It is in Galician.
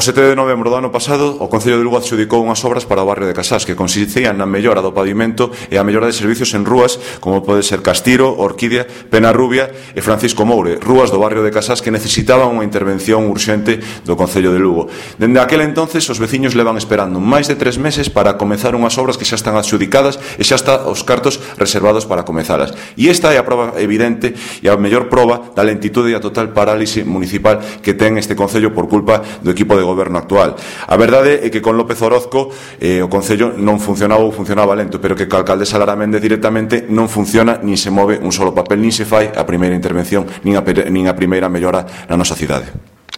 7 de novembro do ano pasado, o Concello de Lugo adxudicou unhas obras para o barrio de Casás que consistían na mellora do pavimento e a mellora de servicios en rúas como pode ser Castiro, Orquídea, Penarrubia e Francisco Moure, rúas do barrio de Casás que necesitaban unha intervención urxente do Concello de Lugo. Dende aquel entonces, os veciños levan esperando máis de 3 meses para comezar unhas obras que xa están adxudicadas e xa están os cartos reservados para comezalas. E esta é a prova evidente e a mellor prova da lentitude e a total parálise municipal que ten este Concello por culpa do equipo de goberno actual. A verdade é que con López Orozco o Concello non funcionaba ou funcionaba lento, pero que co alcaldesa Lara Méndez directamente non funciona, nin se move un solo papel, nin se fai a primeira intervención, nin a primeira mellora na nosa cidade.